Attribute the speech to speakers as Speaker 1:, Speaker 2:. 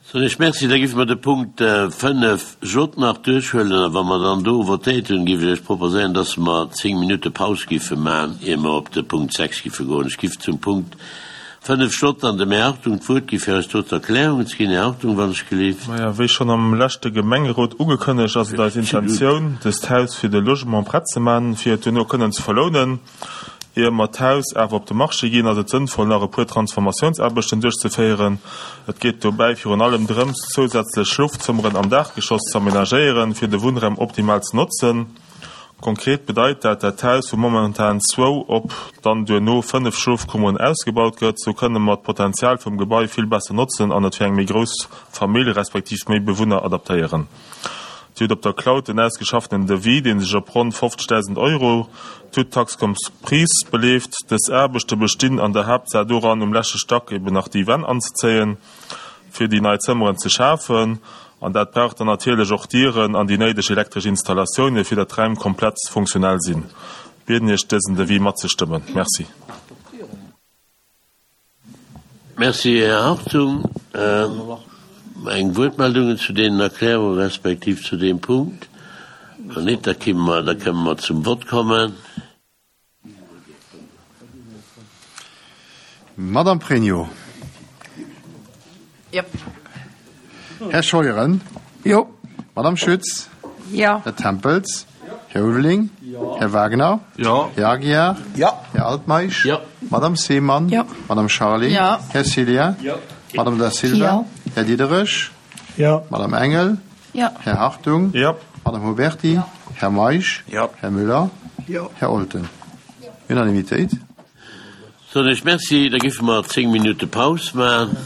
Speaker 1: Soen ech Merci. Da géife mer de Punkt 5 J nach duerchhuelen a wa mer dann do votéiert hunn, géif ech Iech proposéieren, dass mer 10 Minutte Paus géife maachen, ier mer op de Punkt 6 géife goen. Ech giff zum Punkt 5 J dann dem Här Hartung d'Wuert gi fir eis do d'Erklärungen ze ginn. Här Hartung, wann ech gelift.
Speaker 2: Maja, wéi schonn am leschte Gemengerot ugekënnegt, ass et eis Intentioun, dëst Haus fir de Logement prett ze man, fir et duerno kënnen ze verlounen. Ier mer d'Haus awer op de Marché ginn, ass et sënnvoll, nach e puer Transformatiounsaarbechten duerchzeféieren. Et geet dobäi virun allem drëms, zousätzlech Schlofzëmmeren am Daachgeschoss ze amenagéieren, fir de Wunnraum optimal ze notzen. Konkret bedeit dat, dat d'Haus vu momentan zwou op dann duerno 5 Schlofkummeren ausgebaut gëtt. Sou kënne mer d'Potenzial vum Gebai vill besser notzen an et fir eng méi grouss Famill respektiv méi Bewunner adaptéieren. Dir hutt op der Cloud den ausgeschaffenen Devis, dee sech op ronn 50.000 Euro, toutes taxes comprises, beleeft. Dës Aarbechte bestinn an der Haaptsaach doran, um leschte Stack eben nach déi Wänn anzezéien, fir déi nei Zëmmeren ze schafen. An dat brauch dann natierlech och Dieren an déi néideg elektresch Installatioune fir datt d'Räim komplett funktionell sinn. Bieden Iech dësen Devis matzestëmmen. Merci.
Speaker 1: Merci, Här Hartung. Eng Wuertmeldungen zu deenen Erklärungen respektiv zu deem Punkt? Wann net, da kimme mer, da këmme mer zum Vott kommen.
Speaker 3: Madame Pregno.
Speaker 4: Jop.
Speaker 3: Här Scheuren.
Speaker 4: Jo.
Speaker 3: Madame Schütz.
Speaker 4: Jo.
Speaker 3: Här Tempels. Här Ulveling.
Speaker 5: Jo.
Speaker 3: Här Wagner.
Speaker 5: Jo.
Speaker 3: Här Aguiar.
Speaker 5: Jo.
Speaker 3: Här Altmeisch.
Speaker 1: Jo.
Speaker 3: Madame Seemann.
Speaker 4: Jo.
Speaker 3: Madame Charlé.
Speaker 4: Jo.
Speaker 3: Här Cillien.
Speaker 5: Jo.
Speaker 3: Madame Da Silva.
Speaker 4: Jo.
Speaker 3: Här Diderich.
Speaker 5: Jo.
Speaker 3: Madame Engel.
Speaker 4: Jo.
Speaker 3: Här Hartung.
Speaker 2: Jo.
Speaker 3: Madame Huberty.
Speaker 4: Jo.
Speaker 3: Här Meisch.
Speaker 5: Jo.
Speaker 3: Här Müller.
Speaker 5: Jo.
Speaker 3: Här Olten. Unanimitéit.
Speaker 1: Soen ech Merci. Da géife mer 10 Minutte Paus maachen.